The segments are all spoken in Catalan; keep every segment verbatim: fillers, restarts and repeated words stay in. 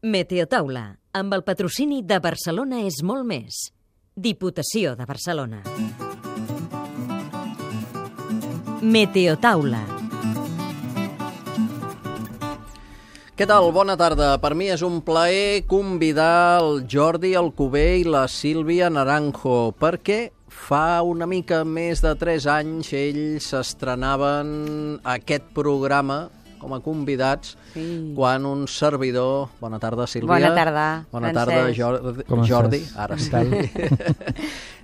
Meteotaula, amb el patrocini de Barcelona és molt més. Diputació de Barcelona. Meteotaula. Què tal? Bona tarda. Per mi és un plaer convidar el Jordi Alcover i la Sílvia Naranjo, perquè fa una mica més de tres anys ells estrenaven aquest programa com a convidats, sí. Quan un servidor... Bona tarda, Sílvia. Bona tarda, Bona Francesc. tarda, Jordi. Com Jordi. estàs? Ara sí.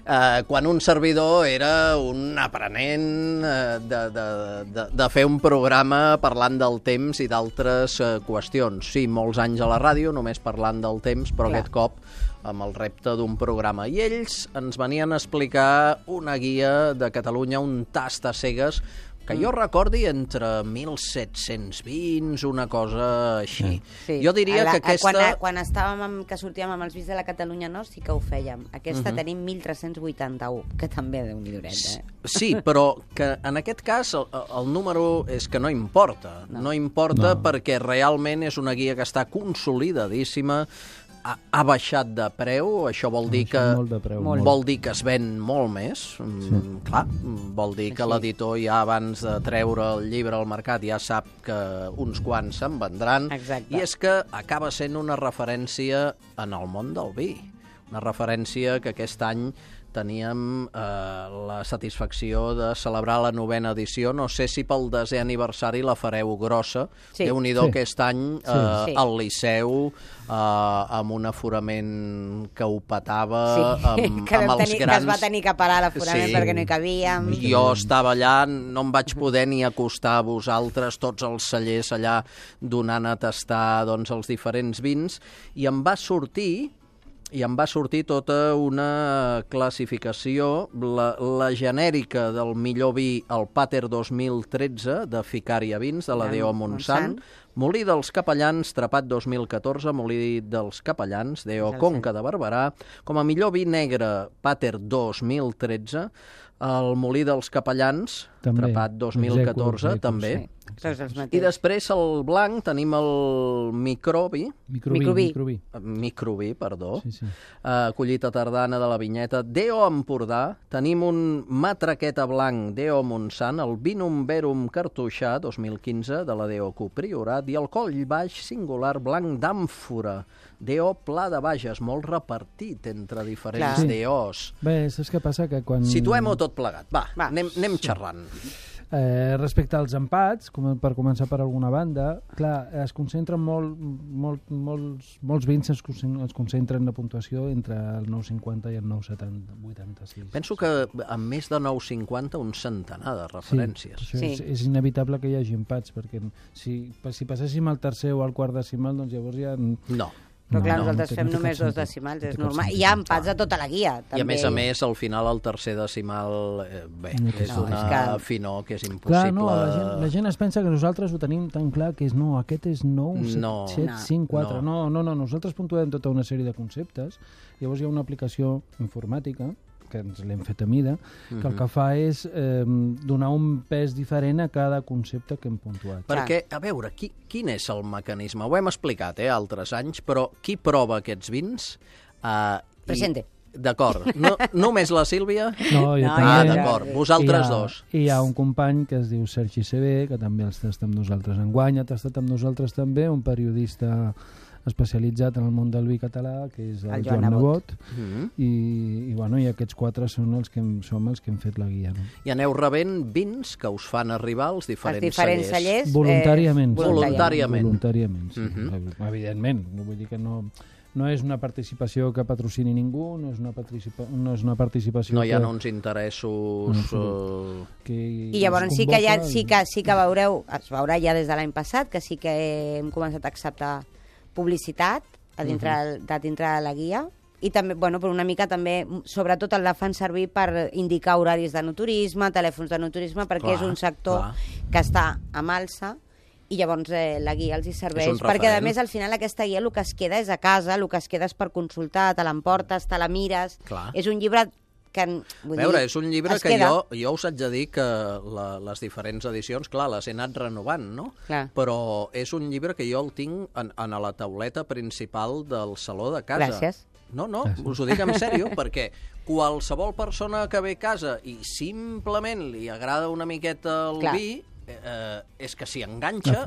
uh, quan un servidor era un aprenent uh, de, de, de, de fer un programa parlant del temps i d'altres uh, qüestions. Sí, molts anys a la ràdio, només parlant del temps, però Clar. Aquest cop amb el repte d'un programa. I ells ens venien a explicar una guia de Catalunya, un tast a cegues, que jo recordi entre mil set-cents vint, una cosa així. Sí. Jo diria la, que aquesta... Quan, quan estàvem amb, que sortíem amb els Vins de la Catalunya Nord sí que ho fèiem. Aquesta uh-huh. tenim mil tres-cents vuitanta-u, que també déu-n'hi-do, eh? Sí, però que en aquest cas el, el número és que no importa. No, no importa no. Perquè realment és una guia que està consolidadíssima, ha, ha baixat de preu, això vol dir que preu, vol dir que es ven molt més, sí. mm, clar, vol dir que l'editor ja abans de treure el llibre al mercat ja sap que uns quants se'n vendran. Exacte. I és que acaba sent una referència en el món del vi, una referència que aquest any teníem eh, la satisfacció de celebrar la novena edició. No sé si pel desè aniversari la fareu grossa. Sí. Déu-n'hi-do sí. aquest any eh, sí. al Liceu, eh, amb un aforament que ho petava, sí. amb, que amb els tenir, grans... Que es va tenir que parar l'aforament Sí. perquè no hi cabíem. Jo estava allà, no em vaig poder ni acostar a vosaltres, tots els cellers allà donant a tastar doncs, els diferents vins, i em va sortir... i em va sortir tota una classificació, la, la genèrica del millor vi, el Pater dos mil tretze, de Ficària Vins, de la D O Montsant, Molí dels Capellans, Trepat dos mil catorze, Molí dels Capellans, D O Conca de Barberà, com a millor vi negre, Pater dos mil tretze, el Molí dels Capellans, també. Trepat dos mil catorze, execu, també. Sí. I després el blanc tenim el microbi. Microbi. Microbi. Microbi, microbi perdó. Sí, sí. Uh, collita tardana de la vinyeta. D O Empordà. Tenim un matraqueta blanc D O Montsant, el Vinum Verum Cartoixà dos mil quinze de la D O Q Priorat i el Coll Baix singular blanc d'àmfora D O Pla de Bages, molt repartit entre diferents Clar. D Os. Bé, saps què passa? Que quan... Situem-ho tot plegat. Va, Va. anem, anem xerrant. Eh, respecte als empats, com per començar per alguna banda, clar, es concentren molt, molt, molts, molts vins es concentren, es concentren la puntuació entre el nou coma cinquanta i el nou coma vuitanta-sis. Penso que amb més de nou coma cinquanta un centenar de referències. Sí, sí. És, és inevitable que hi hagi empats, perquè si, si passéssim al tercer o al quart decimal, doncs llavors ja... No. Però clar, no, nosaltres no té, fem no té només cap dos sentit. decimals, No és té cap normal. sentit. Hi ha empats a tota la guia, també. I a més a més, al final, el tercer decimal, eh, bé, No, és no, una és que- finor que és impossible. Clar, no, la gent, la gent es pensa que nosaltres ho tenim tan clar que és no, aquest és nou, No. set, No. cinc, quatre. No. No, no, no, nosaltres puntuem tota una sèrie de conceptes. Llavors hi ha una aplicació informàtica que ens l'hem fet a mida, que el que fa és eh, donar un pes diferent a cada concepte que hem puntuat. Perquè, a veure, qui, quin és el mecanisme? Ho hem explicat, eh, altres anys, però qui prova aquests vins? Uh, Presente. D'acord. No, només la Sílvia? No, jo No, també. Ah, ja, d'acord. ja. Vosaltres I hi ha, dos. I hi ha un company que es diu Sergi C B, que també els tasta amb nosaltres enguany, ha tastat amb nosaltres també, un periodista especialitzat en el món del vi català, que és el, El Joan Joan Nebot, Mm -hmm. i, i, bueno, i aquests quatre són els que hem, som els que hem fet la guia. No? I aneu rebent vins que us fan arribar als diferents, Els diferents cellers... Voluntàriament. Eh, Voluntàriament. Voluntàriament, sí. Mhm. Evidentment. No vull dir que no... No és una participació que patrocini ningú, no és una, participa no és una participació No hi ha que, uns interessos... No, Uh... que I llavors sí que, ja, convoca sí, que, sí que veureu, es veurà ja des de l'any passat, que sí que hem començat a acceptar publicitat a dintre, uh -huh. de dintre de la guia, i també, bueno, però una mica també, sobretot el la fan servir per indicar horaris de no-turisme, telèfons de no-turisme, perquè Clar, és un sector clar. que està amb alça, i llavors eh, la guia els hi serveix, És un perquè a referent. més al final aquesta guia el que es queda és a casa, el que es queda és per consultar, te l'emportes, te la mires, Clar. és un llibre que vull a veure, dir, és un llibre que queda... jo, jo us haig de dir que la, les diferents edicions, clar, les he anat renovant, no? Clar. Però és un llibre que jo el tinc en, en la tauleta principal del saló de casa. Gràcies. No, no, us ho dic en sèrio, perquè qualsevol persona que ve a casa i simplement li agrada una miqueta el Clar. vi, eh, és que s'hi enganxa,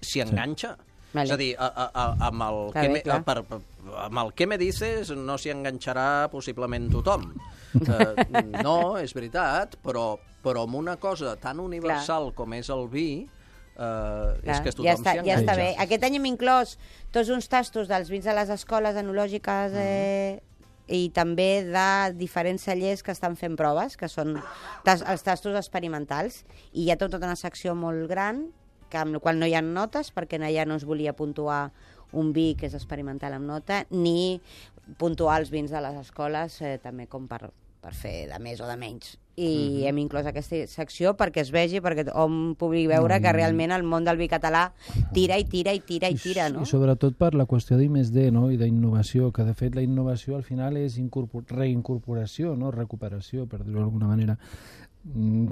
s'hi enganxa. Sí. Vale. És a dir, a, a, a, amb, el que me, a, per, amb el que me dices no s'hi enganxarà possiblement tothom. eh, no, és veritat, però, però amb una cosa tan universal clar. Com és el vi, eh, clar, és que tothom ja està, s'hi enganxa. Ja està bé. Aquest any hem inclòs tots uns tastos dels vins de les escoles enològiques eh, mm. i també de diferents cellers que estan fent proves, que són tas, els tastos experimentals. I hi ha tota una secció molt gran que amb la qual no hi ha notes, perquè allà no es volia puntuar un vi que és experimental amb nota, ni puntuar els vins de les escoles, eh, també com per, per fer de més o de menys. I mm-hmm. hem inclòs aquesta secció perquè es vegi, perquè hom pugui veure mm. que realment el món del vi català tira i tira i tira i tira, no? I sobretot per la qüestió d'I més D, no? I d'innovació, que de fet la innovació al final és reincorporació, no? Recuperació, per dir-ho d'alguna manera.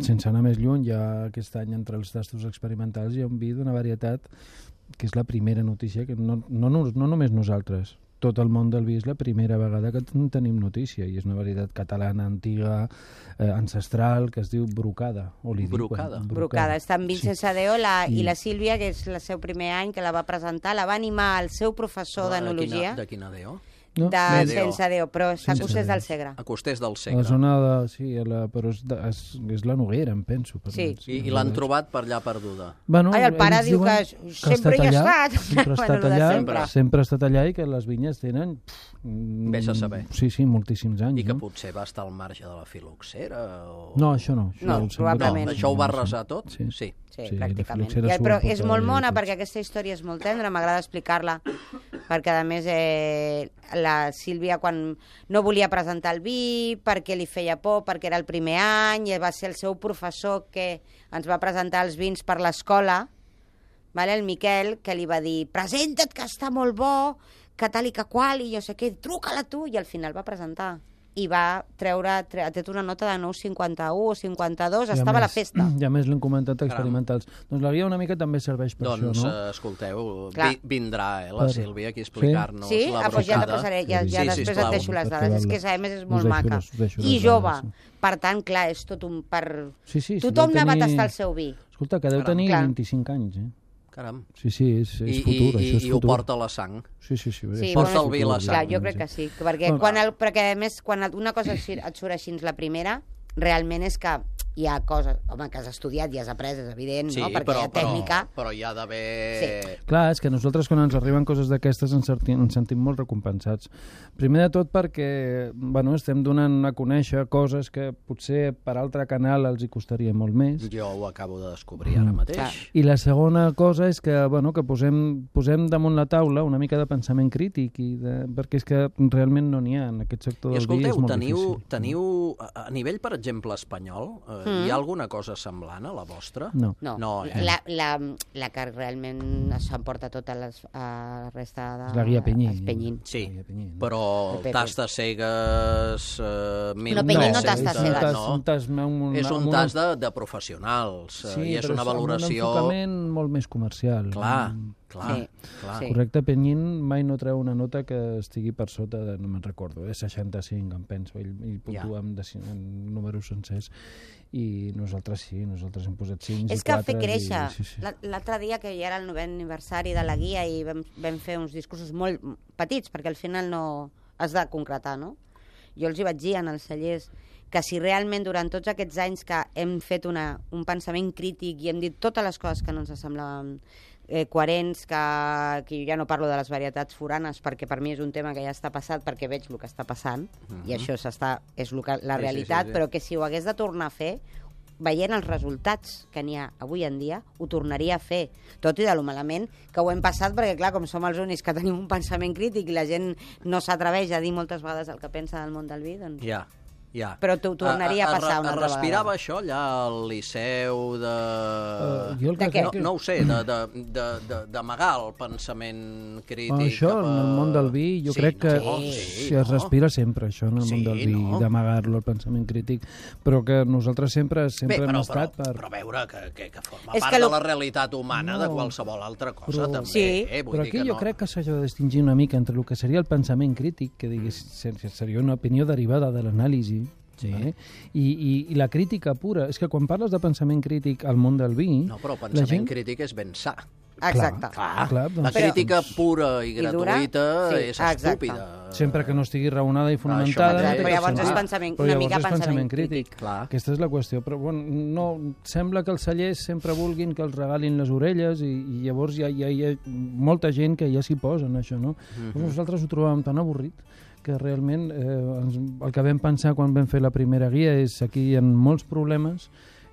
Sense anar més lluny, ja aquest any entre els tastos experimentals hi ha un vi d'una varietat que és la primera notícia, que no, no, no, no només nosaltres, tot el món del vi és la primera vegada que tenim notícia, i és una varietat catalana antiga, eh, ancestral, que es diu Brucada. O li Brucada. Brucada. Brucada. Està en Vincent sí. Sadeo la, I... i la Sílvia, que és el seu primer any, que la va presentar, la va animar el seu professor d'enologia. De quina Deo? No? De Sense Déu, però està a Costers del Segre. A Costers del Segre. A la zona de... Sí, a la, però és, de, és, és la Noguera, em penso. Per sí. I, I l'han trobat per allà perduda. Bueno, Ai, el pare diu que, que sempre hi ha estat. Sempre ha estat allà, sempre. sempre ha estat allà i que les vinyes tenen... Vés a saber. Sí, sí, moltíssims anys. I que no? potser va estar al marge de la filoxera o... No, això no. Això no, probablement. No, això ho va arrasar tot? Sí. Sí, sí, sí pràcticament. I, però és molt mona perquè aquesta història és molt tendra, m'agrada explicar-la, perquè a més eh, la Sílvia quan no volia presentar el vi, perquè li feia por, perquè era el primer any, i va ser el seu professor que ens va presentar els vins per l'escola, vale? El Miquel, que li va dir, presenta't que està molt bo, que tal i que qual, i jo sé què, truca-la tu, i al final va presentar. I va treure, tre, ha tret una nota de nou coma cinquanta-u o cinquanta-dos, I estava més, a la festa. I a més l'hem comentat experimentals. Caram. Doncs la guia una mica també serveix per doncs, això, no? Doncs, escolteu, vi, vindrà eh, la per... Sílvia aquí a explicar-nos sí? la Ah, doncs ja te posaré, ja, ja sí, després sisplau. et deixo les dades. És que a més és molt deixo, maca. Les, deixo I jove. Dades, sí. Per tant, clar, és tot un... Per... Sí, sí, Tothom tenir... n'ha va tastar el seu vi. Escolta, que deu Caram. tenir Clar. vint-i-cinc anys, eh? Caram. Sí, sí, és, és I, futur, i, això és i futur. ho porta a la sang. Sí, sí, sí. sí porta bueno, el vi a la sang. Clar, jo crec que sí, perquè, Bueno, quan el, perquè a més, quan una cosa et surt així la primera, realment és que hi ha coses, home, que has estudiat i has après, és evident, sí, no? Perquè però, hi ha tècnica. Però, però hi ha d'haver... Sí. Clar, és que nosaltres quan ens arriben coses d'aquestes ens, ens sentim molt recompensats. Primer de tot perquè bueno, estem donant a conèixer coses que potser per altre canal els hi costaria molt més. Jo ho acabo de descobrir ara mateix. Clar. I la segona cosa és que, bueno, que posem, posem damunt la taula una mica de pensament crític, i de, perquè és que realment no n'hi ha en aquest sector I del vi, és molt teniu, difícil. teniu, a nivell, per exemple, espanyol, eh, mm. hi ha alguna cosa semblant a la vostra? No. No, no eh? la, la, la que realment s'emporta tota les, a la resta de... És la guia Penyí. Els Penyín. Sí, La guia Penyí, no? però El Pepe. tastes cegues... Eh, mil No, Penyí no tres-cents, tastes és un cegues. tas, no? un tas, un, un, És un un- tas de, de professionals, eh, Sí, i és però una valoració... amb un enfocament molt més comercial. Clar, Mm. clar, Sí, clar. sí. Correcte, Penyín mai no treu una nota que estigui per sota de, no me'n recordo, de seixanta-cinc, em penso, ell, ell puntua Ja. amb de, en números sencers, i nosaltres sí, nosaltres hem posat cinc És i que quatre. fer créixer. I, sí, sí. La- L'altre dia, que ja era el novè aniversari de la guia, i vam, vam fer uns discursos molt petits, perquè al final no has de concretar, no? Jo els hi vaig dir en els cellers que si realment durant tots aquests anys que hem fet una, un pensament crític i hem dit totes les coses que no ens semblaven eh, coherents, que, que jo ja no parlo de les varietats foranes, perquè per mi és un tema que ja està passat, perquè veig el que està passant, Mhm. i això s'està, és lo que, la Sí, sí, realitat, sí, sí. però que si ho hagués de tornar a fer, veient els resultats que n'hi ha avui en dia, ho tornaria a fer, tot i de lo malament que ho hem passat, perquè clar, com som els únics que tenim un pensament crític i la gent no s'atreveix a dir moltes vegades el que pensa del món del vi, doncs... Ja, Ja. Però t'ho tornaria a, a, a passar una altra vegada. Respirava això allà al Liceu de... Uh, jo el que de què? No, no ho sé, d'amagar el pensament crític. Oh, això, cap a... en el món del vi, jo sí, crec que no, sí, sí, es no. respira sempre, això, en el Sí, món del vi, no. d'amagar-lo, el pensament crític, però que nosaltres sempre, sempre Bé, però, hem estat però, per... però veure que, que, que forma És part que de lo- la realitat humana No, de qualsevol altra cosa, però- també. Sí. Eh? Vull Però dir aquí que jo no... crec que s'ha de distingir una mica entre el que seria el pensament crític, que digués, seria una opinió derivada de l'anàlisi, Sí. vale? I, i, i la crítica pura. És que quan parles de pensament crític al món del vi... No, però el la pensament gent... crític és ben sa. Exacte. Clar, clar, la doncs- crítica pura i I dura, gratuïta sí, és exacte. estúpida. Sempre que no estigui raonada i Això fonamentada. mateix. no té Però cap llavors és sentit. pensament- Però una llavors mica és pensament crític. Clar. Aquesta és la qüestió. Però bueno, no, sembla que els cellers sempre vulguin que els regalin les orelles i, i llavors hi ha, hi, ha, hi ha molta gent que ja s'hi posa en això, no? Mm-hmm. Nosaltres ho trobàvem tan avorrit que realment eh, ens, el que vam pensar quan vam fer la primera guia és aquí hi ha molts problemes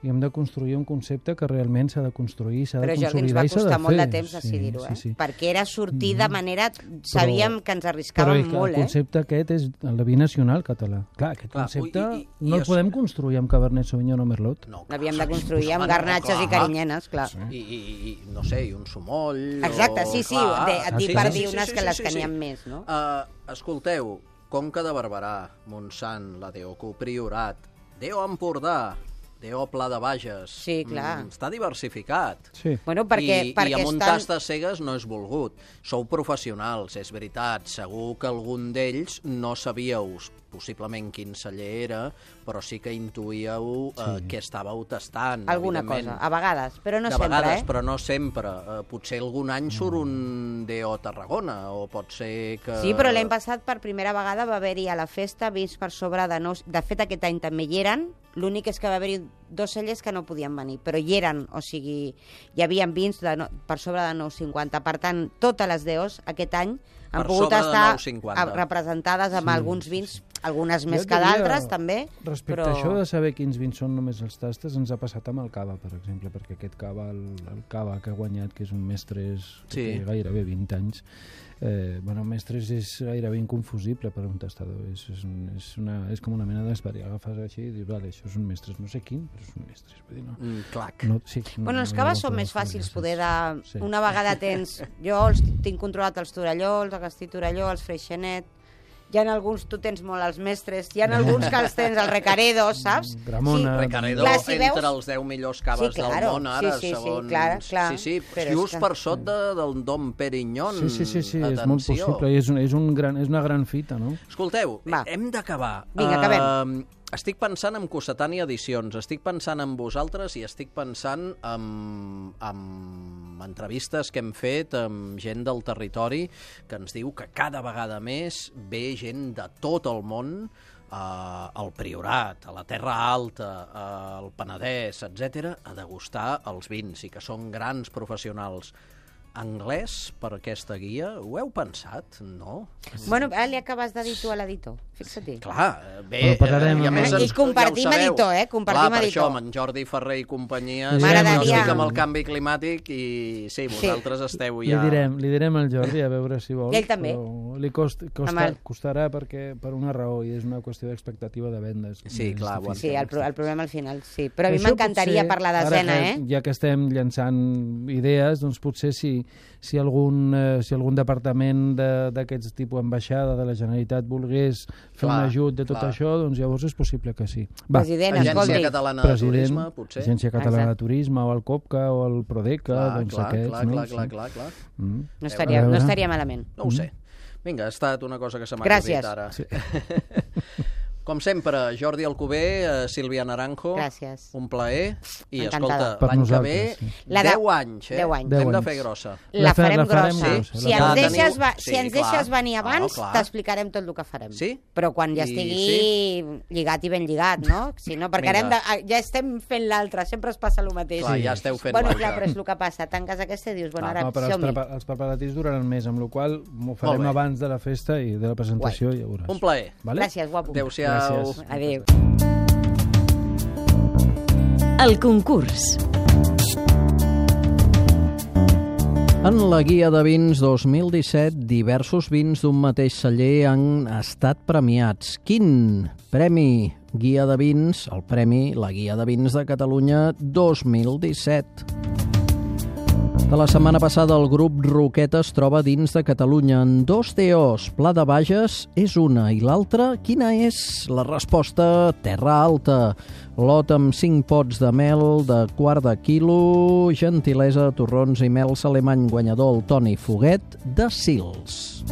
i hem de construir un concepte que realment s'ha de construir, s'ha de Però Jordi, ens consolidar va i s'ha de costar molt de fer. temps decidir-ho, eh? Sí, sí. Perquè era sortir de manera... Sabíem que ens Però arriscàvem el molt, eh? concepte aquest és el de vi nacional català. Clar, aquest Clar, concepte i- i- i no el es- podem construir amb Cabernet Sauvignon o Merlot. No, L'havíem de clar, construir amb home, no, garnatges i clar. carinyenes, clar. I, i, i, no sé, i un sumoll... Exacte, o... sí, sí, clar. de- et dic per dir unes que les que n'hi ha més, no? Uh, escolteu, Conca de Barberà, Montsant, la D O C U Priorat, D O Empordà, D O Pla de Bages... Sí, clar. Mm, està diversificat. Sí. Bueno, perquè, I, perquè I amb un estan... tast de cegues no és volgut. Sou professionals, és veritat. Segur que algun d'ells no sabíeu possiblement quin celler era, però sí que intuïeu eh, Sí. què estàveu tastant. Alguna evidentment. cosa, a vegades, però no de sempre, vegades, eh? però no sempre. Uh, potser algun any surt un D O Tarragona, o pot ser que... Sí, però l'any passat per primera vegada va haver-hi a la festa vins per sobre de nou... De fet, aquest any també hi eren, l'únic és que va haver-hi dos cellers que no podien venir, però hi eren, o sigui, hi havia vins de no, per sobre de nou coma cinquanta. Per tant, totes les D Os aquest any han Per pogut sobre de estar nou coma cinquanta. a- representades amb Sí, alguns vins, algunes Jo més et que diria, d'altres, també. Respecte però... a això de saber quins vins són només els tastes, ens ha passat amb el cava, per exemple, perquè aquest cava, el, el cava que ha guanyat, que és un Mestres que Sí. té gairebé vint anys, eh, bueno, Mestres és gairebé inconfusible per a un tastador, és, és, un, és, una, és com una mena d'esperi, agafes així i dius, vale, això és un Mestres, no sé quin, però és un Mestres. Vull dir, no, Mm, clac. no, sí, no, Bueno, els no hi ha caves molta són més forma, fàcils, gràcies. poder de... Sí. Una vegada tens... Jo els tinc controlat els Torelló, els Agustí Torelló, els Freixenet, hi ha alguns, tu tens molt els mestres, hi ha alguns que els tens, el Recaredo, saps? Gramona, Sí. Recaredo Clar, si entre veus- els deu millors caves Sí, claro. del món ara, Sí, sí, sí, segons... clar, clar. Sí, sí, Però just és que- per sota de, del Dom Perignon. Sí, sí, sí, sí és Atenció. molt possible, i és, un, és, un gran, és una gran fita, no? Escolteu, Va. hem d'acabar. Vinga, acabem. Uh, estic pensant en Cossetània Edicions, estic pensant en vosaltres i estic pensant en, en entrevistes que hem fet amb gent del territori que ens diu que cada vegada més ve gent de tot el món uh, al Priorat, a la Terra Alta, al Penedès, etcètera, a degustar els vins i que són grans professionals. Anglès per aquesta guia, ho heu pensat? No? Bueno, ara li acabes de dir tu a l'editor, fixa-t'hi. Clar, bé, Però parlarem- eh, i a més I ens- compartim ja ho sabeu. editor, eh? Compartim Clar, per editor. això, amb en Jordi Ferrer i companyia, Li sí, direm- jo estic M'agradaria- amb el canvi climàtic i sí, vosaltres esteu ja... Li direm, li direm al Jordi a veure si vol. I ell també. Però li cost, costa, Amb el- costarà perquè, per una raó, i és una qüestió d'expectativa de vendes. Sí, És clar, ho difícil. Sí, el, pro el problema al final, sí. Però a mi Això m'encantaria potser, per la ara desena, que, eh? Ja que estem llançant idees, doncs potser si, si, algun, eh, si algun departament de- d'aquests tipus ambaixada de la Generalitat volgués fer Clar, un ajut de tot clar. això, doncs llavors és possible que sí. Va, President, Agència escolti. Catalana de president, Turisme, potser? Agència Catalana Exacte. de Turisme, o el COPCA, o el Prodeca, Clar, doncs clar, aquests, clar, no? clar, Sí. clar, clar, clar. Mm. No estaria, A no veure. estaria malament. No ho sé. Vinga, ha estat una cosa que se m'ha Gràcies. acudit ara. Sí. Com sempre, Jordi Alcover, eh, Sílvia Naranjo. Gràcies. Un plaer. I, Encantada. escolta, Per l'any que ve, nosaltres, sí. La de- deu anys, eh? deu anys. L'hem Deu de anys. fer grossa. La, La fe- farem la farem grossa. grossa, Si la ens farem. deixes, Ja va, teniu- si ens sí, clar. deixes venir abans, Oh, clar. t'explicarem tot el que farem. Sí? Però quan ja I estigui lligat i ben lligat, no? Si no, perquè ara hem Vinga. de, ja estem fent l'altre, sempre es passa el mateix. Clar, ja esteu fent Bueno, l'altre. clar, però és el que passa. Tanques aquesta i dius, bueno, Clar, ara No, però els, som-hi. prepa els preparatius duraran més, amb la qual cosa m'ho Molt farem bé. abans de la festa i de la presentació, ja veuràs. Un plaer. Vale? Gràcies, guapo. Adéu-siau. Gràcies. Adéu. El concurs. En la guia de vins dos mil disset, diversos vins d'un mateix celler han estat premiats. Quin premi Guia de Vins, el premi La Guia de Vins de Catalunya dos mil disset. De la setmana passada, el grup Roqueta es troba dins de Catalunya en dos D Os. Pla de Bages és una i l'altra, quina és? La resposta, Terra Alta. Lot amb cinc pots de mel de quart de quilo, gentilesa, torrons i mel alemany, guanyador el Toni Foguet de Sils.